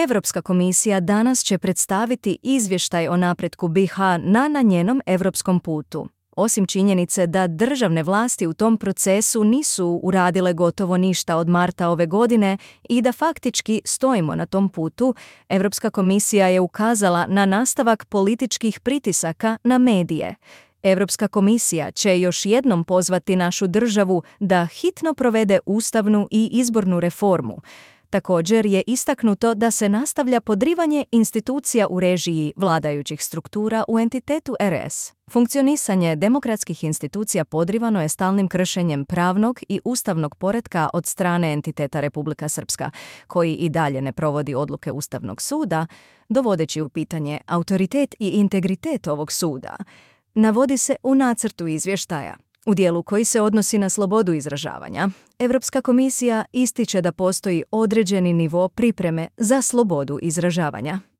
Europska komisija danas će predstaviti izvještaj o napretku BiH na njenom europskom putu. Osim činjenice da državne vlasti u tom procesu nisu uradile gotovo ništa od marta ove godine i da faktički stojimo na tom putu, Europska komisija je ukazala na nastavak političkih pritisaka na medije. Europska komisija će još jednom pozvati našu državu da hitno provede ustavnu i izbornu reformu. Također je istaknuto da se nastavlja podrivanje institucija u režiji vladajućih struktura u entitetu RS. Funkcionisanje demokratskih institucija podrivano je stalnim kršenjem pravnog i ustavnog poretka od strane entiteta Republika Srpska, koji i dalje ne provodi odluke Ustavnog suda, dovodeći u pitanje autoritet i integritet ovog suda. Navodi se u nacrtu izvještaja. U dijelu koji se odnosi na slobodu izražavanja, Europska komisija ističe da postoji određeni nivo pripreme za slobodu izražavanja.